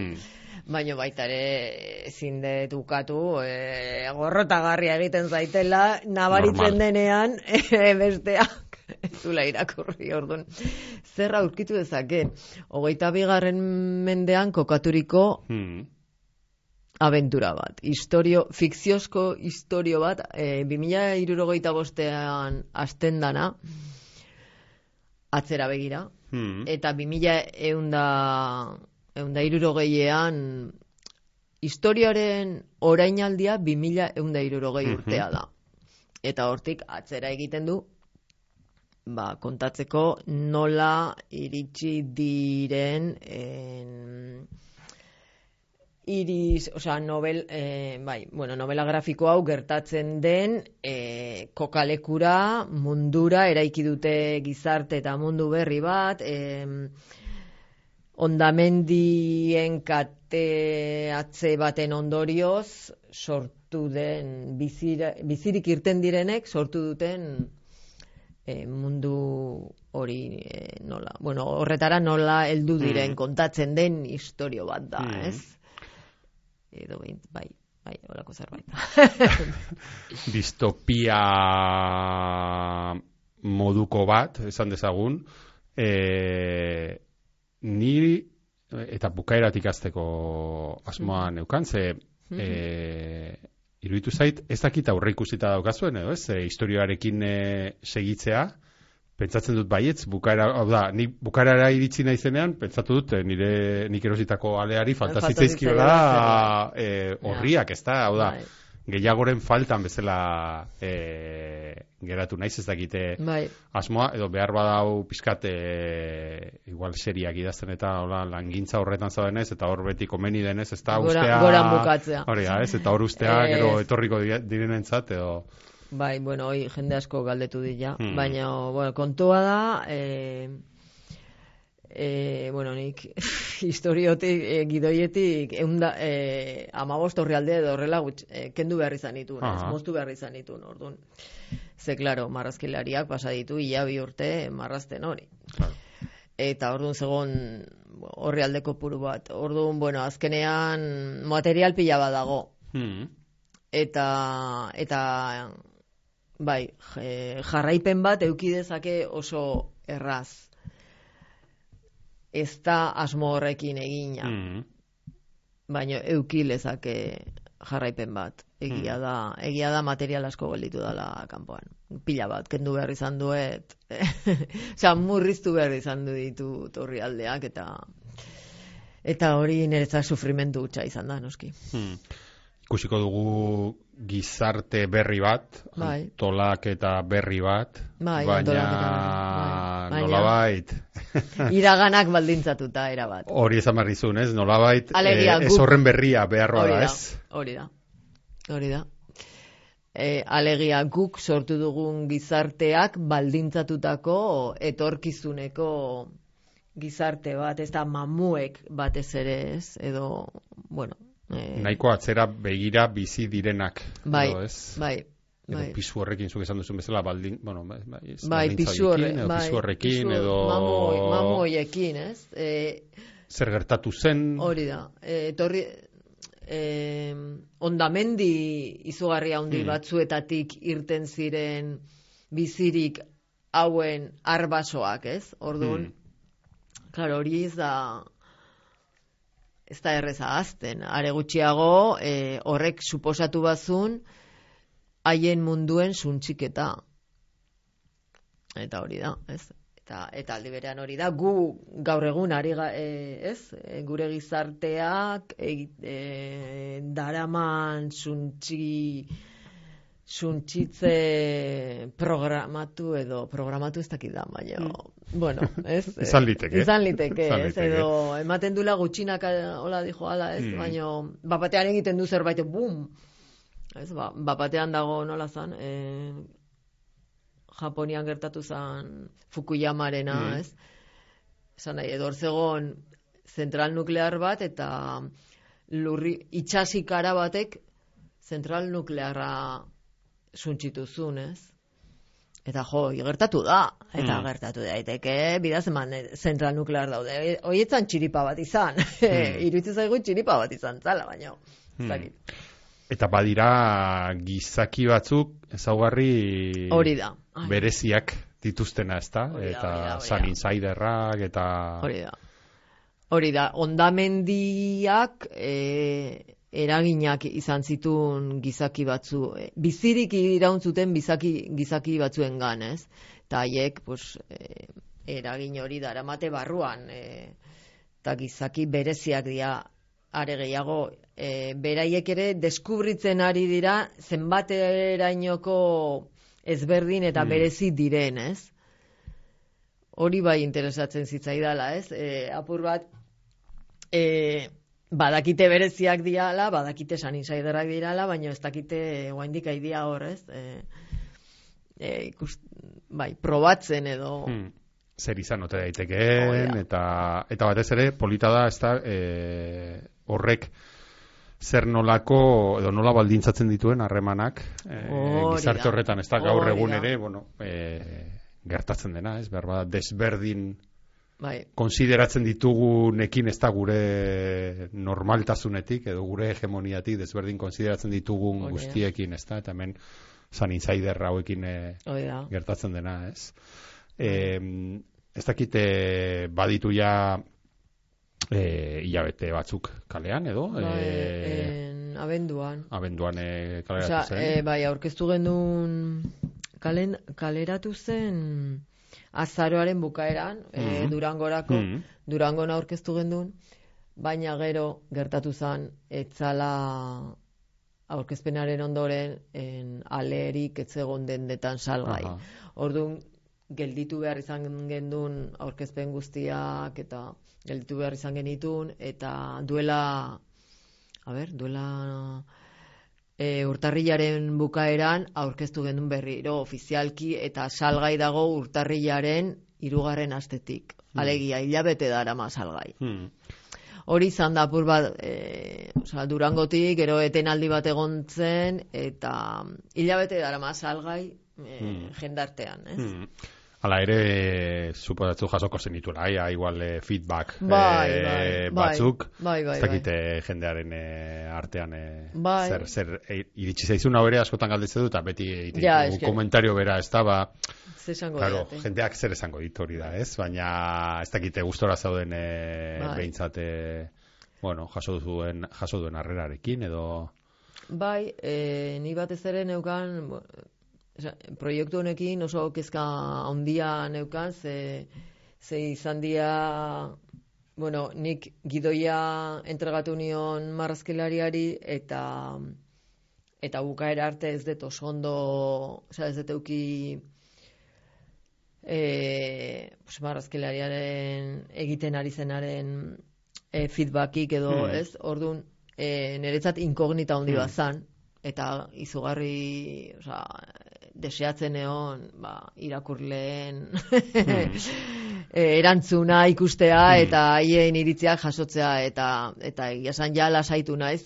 baina baita ere ezin dut ukatu, gorrotagarria egiten zaitela, nabaritzen denean, besteak ez dula irakurri, orduan. Zer aurkitu dezake, 22. mendean kokaturiko abentura bat, fikziozko historio bat, 2065an hasten dana, atzera begira, eta 2160an historiaren orainaldia 2160 urtea da. Eta hortik atzera egiten du, kontatzeko nola iritsi diren novela grafiko hau gertatzen den kokalekura, mundura, eraiki dute gizarte eta mundu berri bat, hondamendien kateatze baten ondorioz sortu den, bizirik irten direnek sortu duten mundu hori horretara nola heldu diren kontatzen den istorio bat da, ez? Edo bai, holako zerbait. Distopia moduko bat, esan dezagun, niri eta bukaeratik hasteko asmoa neukan, ze iruditu zait, ez dakit aurre ikusita daukazuen, edo ez, historioarekin segitzea, pentsatzen dut baietz, ni bukaerara iritsi naizenean, pentsatu dut, nik erositako aleari falta zitzaizkiola horriak, ez da, hau da, gehiagoren faltan bezala geratu naiz, ez dakite asmoa, edo behar badau pizkat igual seriak idazten eta langintza horretan zaudenez, eta hor beti komeni denez, ez da ustea goran bukatzea. Hori da, ez, eta hor ustea gero etorriko direnentzat, edo bai, hoi jende asko galdetu dira, baina kontua da nik historiotik, gidoietik 15 orrialde edo horrela kendu behar izan dituen, moztu behar izan dituen, orduan. Ze, klaro, marrazkilariak pasa ditu ia 2 urte marrazten hori. Eta orduan zegoen orrialdeko puru bat. Orduan, azkenean material pila bat dago. Eta bai, jarraipen bat eduki dezake oso erraz. Ez da asmo horrekin egina. Baina eduki lezake jarraipen bat. Egia da material asko gelditu dela kanpoan. Pila bat, kendu behar izan duet. Murriztu behar izan ditu orrialdeak eta hori niretzat sufrimendu hutsa izan da, noski. Ikusiko dugu gizarte berri bat, antolak eta berri bat, baina nolabait iraganak baldintzatuta erabat. Hori esan barrizun, ez? Nolabait ez horren berria beharroa da, ez? Hori da. Alegia guk sortu dugun gizarteak baldintzatutako etorkizuneko gizarte bat, ez da mamuek batez ere, ez? Edo, nahiko atzera begira bizi direnak, edo ez? Bai. Pisu horrekin, zuk esan duzun bezala, pisu horrekin, edo mamu horiekin, ez? Zer gertatu zen? Hori da. Hondamendi izugarri handi batzuetatik irten ziren bizirik hauen arbasoak, ez? Orduan, klaro, hori ez da erreza azten. Are gutxiago, horrek suposatu bazun haien munduen suntxiketa. Eta hori da, ez? Eta aldi berean hori da, gu gaur egun gure gizarteak daraman suntsitze programatu ez dakit da, baina ez? Izan liteke, ez? Edo ematen dula gutxinak hola dijo ala, ez? Baina bapatean egiten du zerbait, bum! Ez, bapatean dago nola zan, Japonian gertatu zen Fukuyamarena, ez? Esan nahi, edo zegoen zentral nuklear bat eta itxasikara batek zentral nuklearra suntsitu zuen, ez? Eta gertatu da. Eta gertatu daiteke, bidaz eman zentral nuklear daude. Hoietzan txiripa bat izan. Iruditzen zaigu txiripa bat izan zala, baina. Eta badira gizaki batzuk ezaugarri bereziak dituztena, ezta? Eta Sun Insiderrak eta hori da. Hondamendiak eraginak izan zituen gizaki batzu, bizirik iraun zuten gizaki batzuengan, ez? Eta haiek eragin hori daramate barruan, eta gizaki bereziak dira, are gehiago beraiek ere deskubritzen ari dira zenbaterainoko ezberdin eta berezi diren, ez? Hori bai interesatzen zitzaidala, ez? Apur bat, badakite bereziak diala, badakite Sun Insiderrak dirala, baina ez dakite oraindik aidia hor, ez? Probatzen edo... Zer izan ote daitekeen, eta batez ere, polita da, ez da, horrek zer nolako, edo nola baldintzatzen dituen harremanak, gizarte horretan, ez da gaur egun ere, gertatzen dena, ez, behar bada, desberdin konsideratzen ditugunekin ez da gure normaltasunetik, edo gure hegemoniatik desberdin konsideratzen ditugun guztiekin, ez da, eta hemen Sun Insider hauekin gertatzen dena, ez. Ez dakite baditu ja hilabete batzuk kalean, edo? Abenduan kaleratu zen. Bai, aurkeztu genuen kaleratu zen azaroaren bukaeran, Durangorako, Durangon aurkeztu genuen, baina gero gertatu zen, etzala aurkezpenaren ondoren alerik etzegon dendetan salgai. Orduan, gelditu behar izan gendun aurkezpen guztiak, eta gelditu behar izan genitun, eta duela urtarrilaren bukaeran aurkeztu gendun berriro ofizialki, eta salgai dago urtarrilaren 3. astetik. Alegia, hilabete darama salgai. Hori izan da apur bat, Durangotik, gero etenaldi bat egon zen, eta hilabete darama salgai jendartean, ez? Hala ere, suposatzu jasoko zenituela, igual feedback batzuk, ez dakite jendearen artean zer iritsi zaizun hau ere askotan galdetzen du, eta beti komentario bera, ez da, claro, jendeak zer esango ditu hori da, ez? Baina ez dakite gustora zauden behintzat, jaso duen harrerarekin, edo... Bai, ni batez ere neukan... proiektu honekin oso kezka handia neukan, ze izan dia, nik gidoia entregatu nion marrazkilariari, eta bukaera arte ez dut oso ondo, ez dut euki marrazkilariaren egiten ari zenaren feedbackik edo, ez? Orduan, niretzat inkognita handi bat zan, eta izugarri, deseatzen egon irakurleen erantzuna ikustea eta haien iritziak jasotzea eta egiasan ja lasaitu naiz.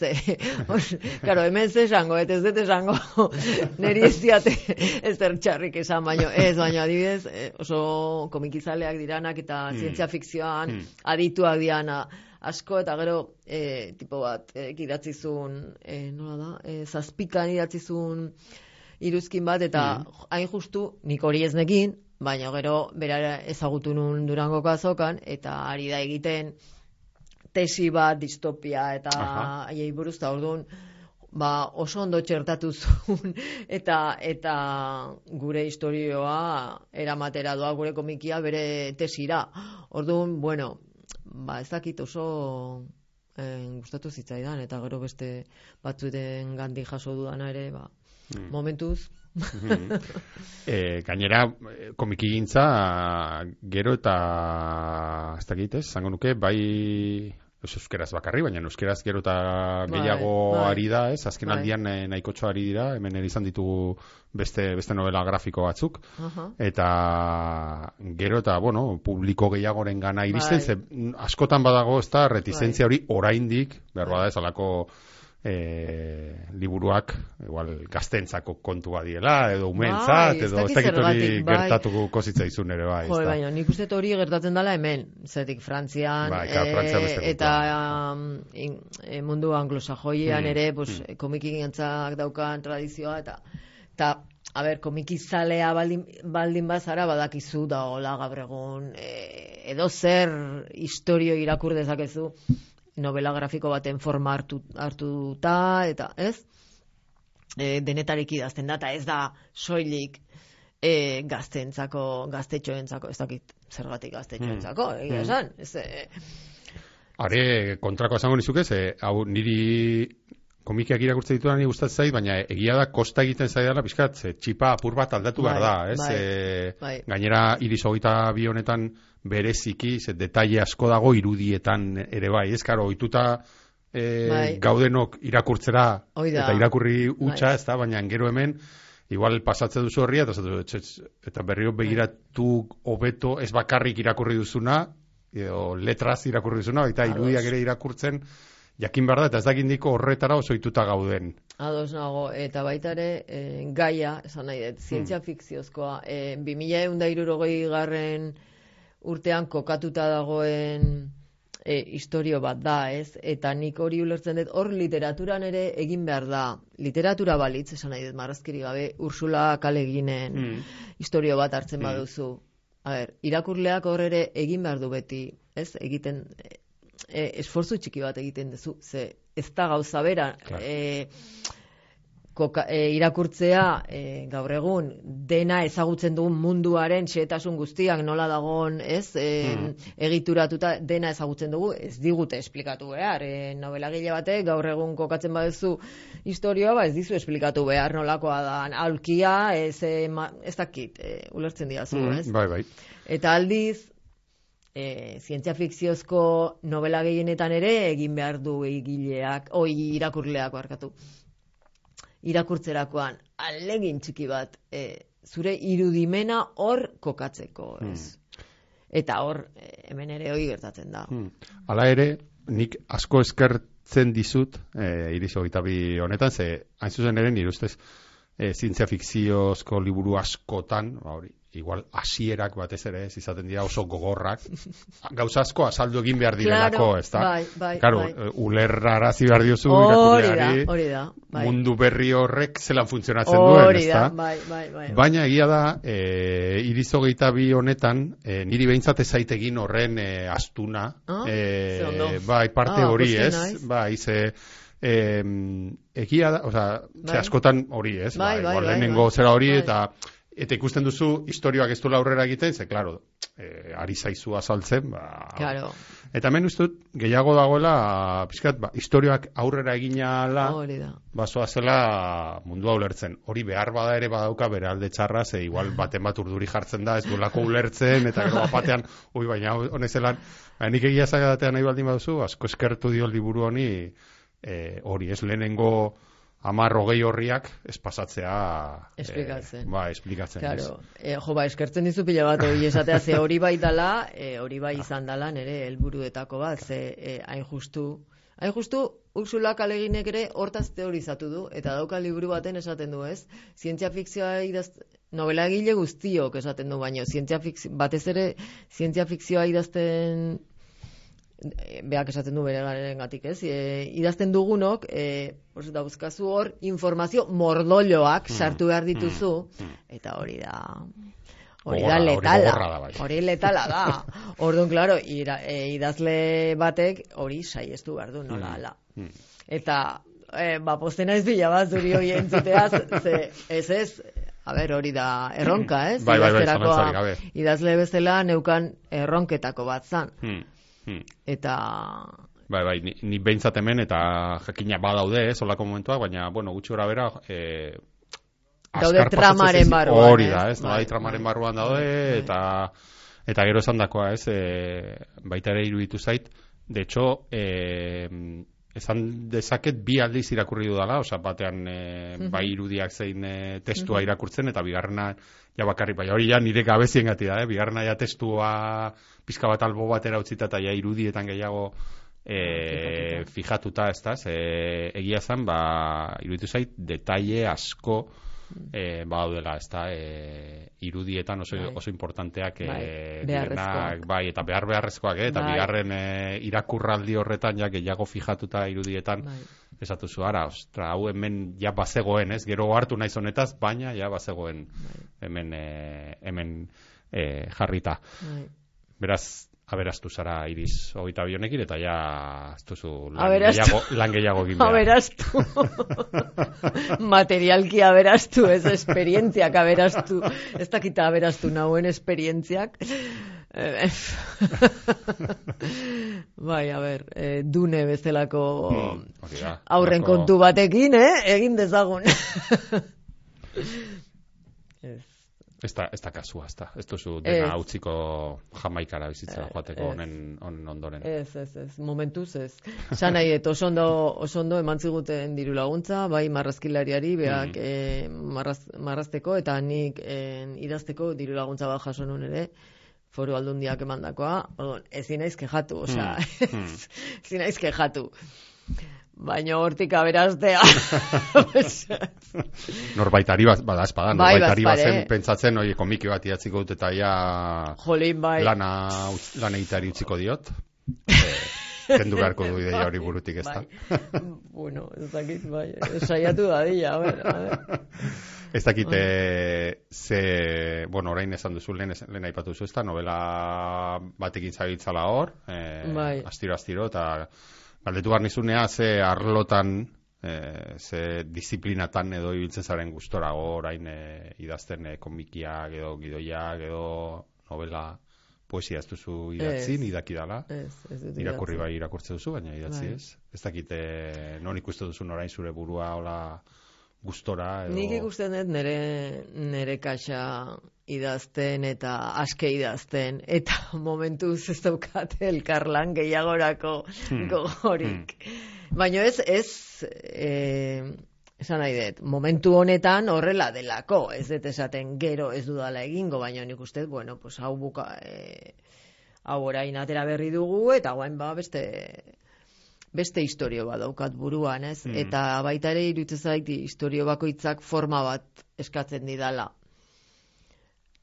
Claro, hemen ze esango, ez dut esango niri ez diate ez txarrik esan, baina adibidez oso komikizaleak diranak eta zientzia fikzioan adituak diana asko, eta gero tipo bat idatzizun, nola da, zazpikan idatzizun iruzkin bat, eta hain justu nik hori ez nekin, baina gero bera ezagutu nun Durangoko azokan, eta ari da egiten tesi bat distopia eta haiei buruz, eta orduan oso ondo txertatu zuen eta gure historioa eramatera doa, gure komikia bere tesira. Orduan, ez dakit oso gustatu zitzaidan, eta gero beste batzuten gandik jaso dudana ere, momentuz. Gainera, komikigintza gero eta ez dakit, zango nuke, bai euskeraz bakarri, baina euskeraz gero eta gehiago ari da, ez? Azken aldian nahikotxo ari dira, hemen izan ditugu beste novela grafiko batzuk, eta gero eta, publiko gehiagoren gana iristen, ze askotan badago, ez da, retizentzia hori oraindik, behar bada ez alako liburuak igual gaztentzako kontua diela, edo umeentzat, edo ez dakit hori gertatuko zitzaizun ere, bai. Baina, nik uste hori gertatzen dela hemen, zetik Frantzian, eta mundu anglosajoian ere, komikigintzak daukan tradizioa, eta komikizalea baldin bazara badakizu da hola gaur egun, edo zer historio irakur dezakezu, novela grafiko baten forma hartuta, eta ez? Denetarik idazten da, eta ez da soilik gaztetxoentzako, ez dakit zergatik gaztetxoentzako, egia esan. Are, kontrako esango nizuke, hau niri komikiak irakurtzen dituan niri gustatzen zait, baina egia da kosta egiten zaidala pixkat, txipa apur bat aldatu behar da, ez? Gainera, Iris 22 honetan bereziki, detaile asko dago irudietan ere bai, ez? Karo, ohituta gaudenok irakurtzera eta irakurri hutsa, ez da, baina gero hemen, igual pasatzen duzu horria, eta berriro begiratu hobeto ez bakarrik irakurri duzuna, edo letraz irakurri duzuna, eta irudiak ere irakurtzen, jakin behar da, eta ez dakindiko horretara osoituta gauden. Ados nago, eta baita ere, gaia, esan nahi dut, zientzia fikziozkoa, 2160 urtean kokatuta dagoen historio bat da, ez? Eta nik hori ulertzen dut, hor literaturan ere egin behar da, literatura balitz, esan nahi dut, marrazkiri gabe, Ursula K. Le Guinen historio bat hartzen baduzu. A ber, irakurleak hor ere egin behar du beti, ez? Egiten, esfortzu txiki bat egiten duzu, ze ez da gauza bera, irakurtzea gaur egun dena ezagutzen dugun munduaren xehetasun guztiak nola dagoen, ez? Egituratuta dena ezagutzen dugu, ez digute esplikatu behar. Nobelagile batek gaur egun kokatzen baduzu historioa, ez dizu esplikatu behar nolakoa da aulkia, ez dakit, ulertzen diazu, ez? Bai. Eta aldiz, zientzia fikziozko novela gehienetan ere egin behar du irakurleak barkatu. Irakurtzerakoan ahalegin txiki bat zure irudimena hor kokatzeko, ez? Eta hor hemen ere hori gertatzen da. Hala ere, nik asko eskertzen dizut Iris 22 honetan, ze hain zuzen ere nire ustez zientzia fikziozko liburu askotan, hori, igual hasierak batez ere ez izaten dira oso gogorrak, gauza asko azaldu egin behar direlako, ez da? Claro, ulerrarazi behar diozu irakurleari, mundu berri horrek zelan funtzionatzen duen, ez da? Bai. Baina egia da, Iris 22 honetan, niri behintzat ezaitegin horren astuna, bai, parte hori, ez? Bai, egia da, oza, askotan hori, ez? Igual lehenengo zera hori, eta ikusten duzu historioak ez duela aurrera egiten, ze, klaro, ari zaizu azaltzen, Claro. Eta hemen ustut, gehiago dagoela, pixkat, historioak aurrera eginala, basoa zela mundua ulertzen. Hori behar bada ere badauka bere alde txarra, ze igual baten bat urduri jartzen da, ez duelako ulertzen, eta gero batean, baina honezelan, nik egia zagatean nahi baldin baduzu, asko eskertu dio liburu honi, hori, ez lehenengo 10-20 horriak ez pasatzea esplikatzen. Esplikatzen. Claro. Eskertzen dizu pila bat hori esatea, ze hori bai dala, hori bai izan dala nere helburuetako bat, ze hain justu Ursula K. Le Guinek ere hortaz teorizatu du, eta dauka liburu baten esaten du, ez? Zientzia fikzioa novela egile guztiok esaten du, baino batez ere zientzia fikzioa idazten beak esaten du bere garengatik, ez? Idazten dugunok, dauzkazu hor informazio mordoloak sartu behar dituzu, eta hori da letala. Hori letala da. Orduan, klaro, idazle batek hori saiestu behar du, nola ala. Eta, poztena ez bila bat zuri hori entzuteaz, ez, a ber, hori da erronka, ez? Bai, idazle bezala neukan erronketako bat zan. Eta... Bai, ni behintzat hemen, eta jakina badaude, olako momentuak, baina, gutxi gora bera, daude tramaren barruan. Hori da, ez? Tramaren barruan daude, eta gero esan dakoa, ez? Baita ere iruditu zait. De hecho, esan dezaket bi aldiz irakurri dudala, batean bai irudiak zein testua irakurtzen, eta bigarrena ja bakarrik, bai hori ja nire gabezien gati da, bigarrena ja testua pizka bat albo batera utzita eta ja irudietan gehiago fijatuta, ez da, egia zen, iruditu zait, detaile asko badaudela, ez da, irudietan oso importanteak bai, eta beharrezkoak, eta bigarren irakurraldi horretan ja gehiago fijatuta irudietan, esatu zu, hau hemen ja bazegoen, ez, gero hartu naiz honetaz, baina ja bazegoen hemen jarrita. Beraz, aberastu zara Iris 22 honekin, eta ja ez duzu lan gehiago egin behar. Aberastu. Materialki aberastu, ez esperientziak aberastu. Ez dakita aberastu nauen esperientziak. Bai, a ber, Dune bezalako aurren Olako... kontu batekin, egin dezagun. Ez da kasua, ez duzu dena utziko Jamaikara bizitzera joateko honen ondoren. Ez, momentuz ez. Esan nahi, oso ondo eman ziguten diru laguntza, bai marrazkilariari, beak marrazteko, eta nik idazteko diru laguntza bat jaso nun ere, Foru Aldundiak emandakoa, ezin naiz kexatu, ezin naiz kexatu. Baina hortik aberastea. Norbaitari bada espada, norbaitari bazen pentsatzen, komiki bat idatziko dut eta ja lana egiteari utziko diot. Kendu beharko du ideia hori burutik ez da. Bueno, ez dakit, bai, saiatu dadila, a ver. Ez dakit, orain esan duzu, lehen aipatu duzu, ez da, novela batekin zabiltzala hor, astiro, eta galdetu behar nizunea, ze arlotan, ze disiplinatan edo ibiltzen zaren gustora orain idazten komikiak edo gidoiak edo novela, poesia ez duzu idatzin, idakidala. Irakurri bai irakurtze duzu, baina idatzi ez. Ez dakit, non ikuste duzun orain zure burua hola gustora edo... Nik ikusten dut nere kaxa idazten eta aske idazten, eta momentuz ez daukate elkarlan gehiagorako gogorik. Baina ez esan nahi dut, momentu honetan horrela delako, ez dut esaten gero ez dudala egingo, baina nik uste, bueno, pues hau orain atera berri dugu, eta guain beste historio bat daukat buruan, ez? Eta baita ere iruditzen zait historio bakoitzak forma bat eskatzen didala.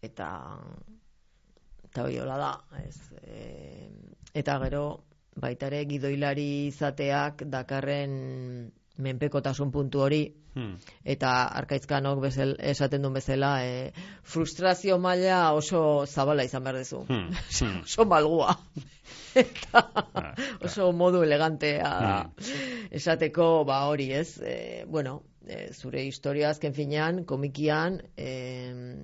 Eta hori hola da, ez? Eta gero baita ere gidoilari izateak dakarren menpekotasun puntu hori, eta Arkaitzkanok esaten duen bezala, frustrazio maila oso zabala izan behar duzu. Oso malgua. Eta oso modu elegantea esateko hori, ez? Zure historia azken finean, komikian,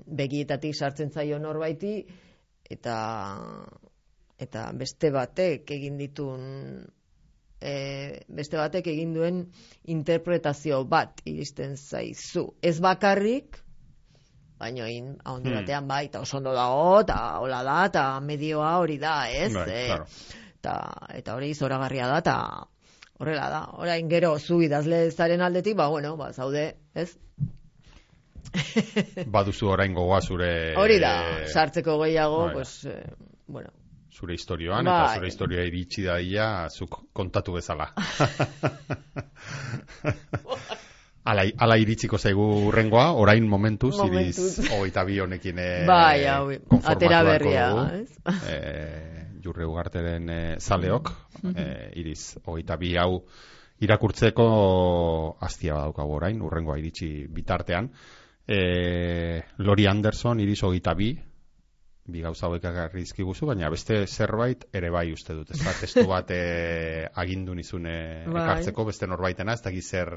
begietatik sartzen zaio norbaiti, eta beste batek egin duen interpretazio bat iristen zaizu. Ez bakarrik, baina ahondi batean bai, eta oso ondo dago, eta hola da, eta medioa hori da, ez? Eta hori zoragarria da, eta horrela da. Orain gero zu idazle zaren aldetik, zaude, ez? Baduzu orain gogoa zure... Hori da, sartzeko gehiago, zure historioan, eta zure historia iritsi daia zuk kontatu bezala. Ala iritsiko zaigu urrengoa, orain momentuz, iriz 22 honekin atera berria, Jurre Ugarteren zaleok, iriz 22 hau irakurtzeko hastia badaukagu orain, urrengoa iritsi bitartean. Lori Anderson, iriz 22, bi gauza hauek ekarri dizkiguzu, baina beste zerbait ere bai uste dut, ez da, testu bat agindu nizune ekartzeko, beste norbaitena, ez dakit zer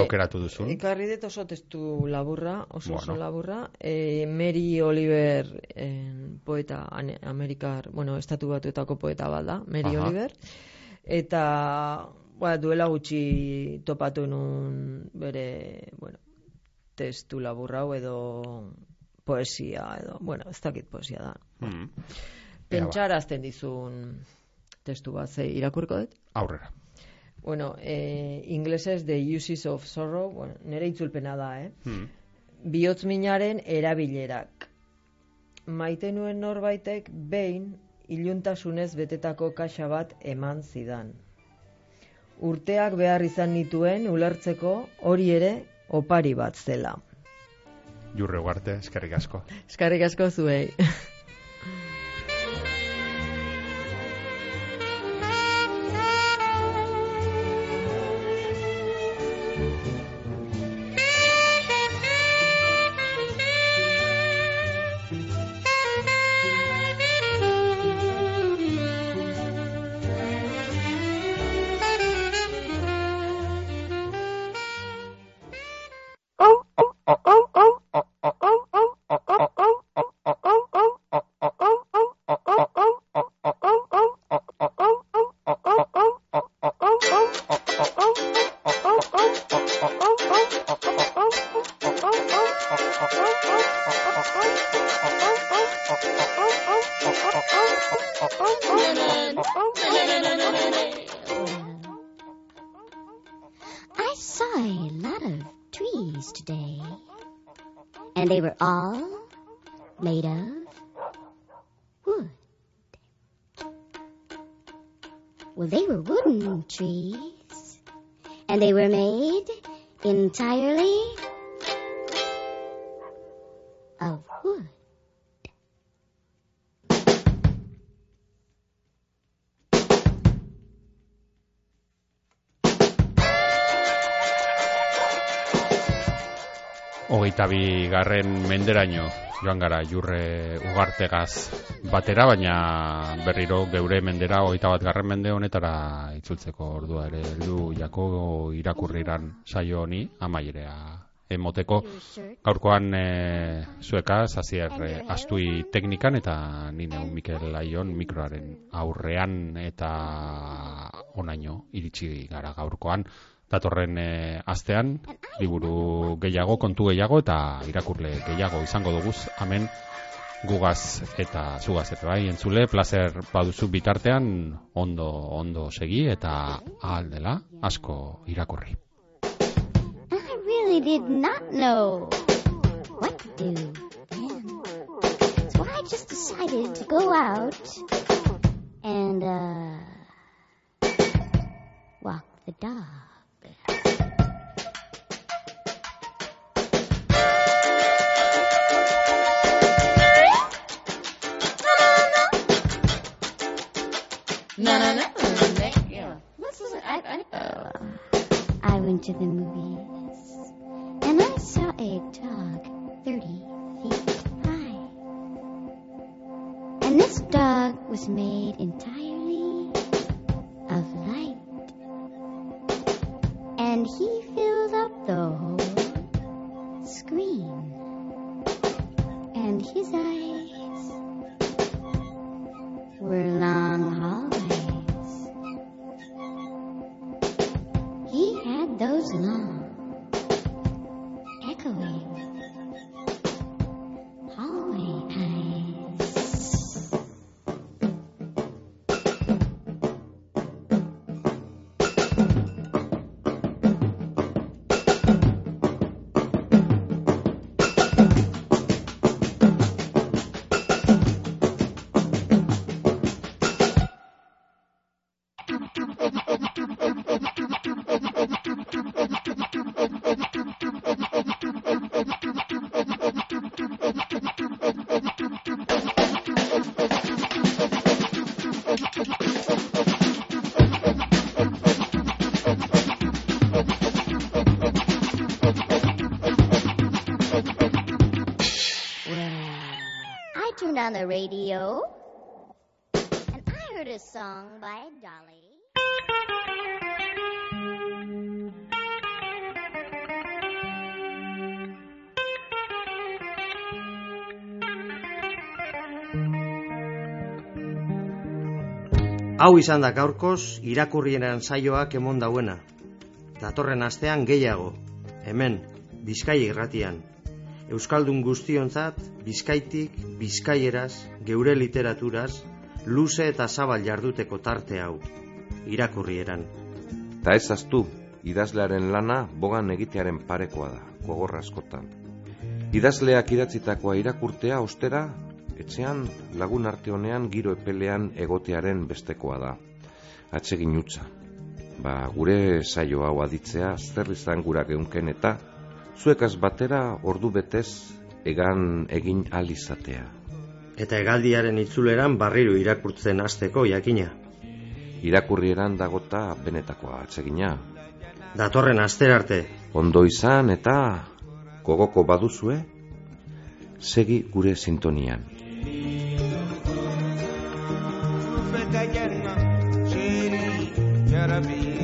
aukeratu duzun. Ekarri dut oso testu laburra, oso laburra, Mary Oliver poeta amerikar, estatu batuetako poeta bat da, Mary Oliver, eta duela gutxi topatu nun bere, testu laburra edo poesia edo, ez dakit poesia da. Pentsarazten dizun testu bat, irakurko dut? Aurrera. Inglesez The Uses of Sorrow, nire itzulpena da, bihotz minaren erabilerak. Maite nuen norbaitek behin iluntasunez betetako kaxa bat eman zidan. Urteak behar izan nituen ulertzeko hori ere opari bat zela. Jurre Ugarte, eskerrik asko. Eskerrik asko zuei. I saw a lot of trees today, and they were all made of wood. Well, they were wooden trees, and they were made entirely of wood. Hogeita bigarren menderaino joan gara Jurre Ugartegaz batera, baina berriro geure mendera 21. mende honetara itzultzeko ordua ere heldu jako irakurriran saio honi amaierea emoteko. Gaurkoan zuekaz Asier Astui teknikan eta ni neu Mikel Aion mikroaren aurrean, eta onaino iritsi gara gaurkoan. Datorren astean liburu gehiago, kontu gehiago eta irakurle gehiago izango duguz hemen gugaz eta zugaz ere bai entzule. Plazer baduzu bitartean ondo segi eta ahal dela asko irakurri. I really did not know what to do then. So I just decided to go out and walk the dog. I went to the movies, and I saw a dog 30 feet high. And this dog was made entirely of light. And he filled up the whole screen. And his eyes were long hallways. He had those long, echoing hallway eyes. On the radio, and I heard a song by Dolly. Hau izan da gaurkoz irakurrieran saioak emon dauena. Datorren astean gehiago, hemen, Bizkai irratian. Euskaldun guztionzat, Bizkaitik, bizkaieraz, geure literaturaz, luze eta zabal jarduteko tarte hau, irakurrieran. Ta ez aztu, idazlearen lana bogan egitearen parekoa da, gogorra askotan. Idazleak idatzitakoa irakurtea ostera, etxean lagun arte honean giro epelean egotearen bestekoa da. Atsegin utza. Gure saio hau aditzea zer izan gura geunken eta zuekaz batera ordu betez egan egin alizatea. Eta hegaldiaren itzuleran barriro irakurtzen hasteko jakina. Irakurrieran dagota benetakoa atsegina. Datorren asterarte. Ondo izan eta gogoko baduzue, segi gure sintonian. Be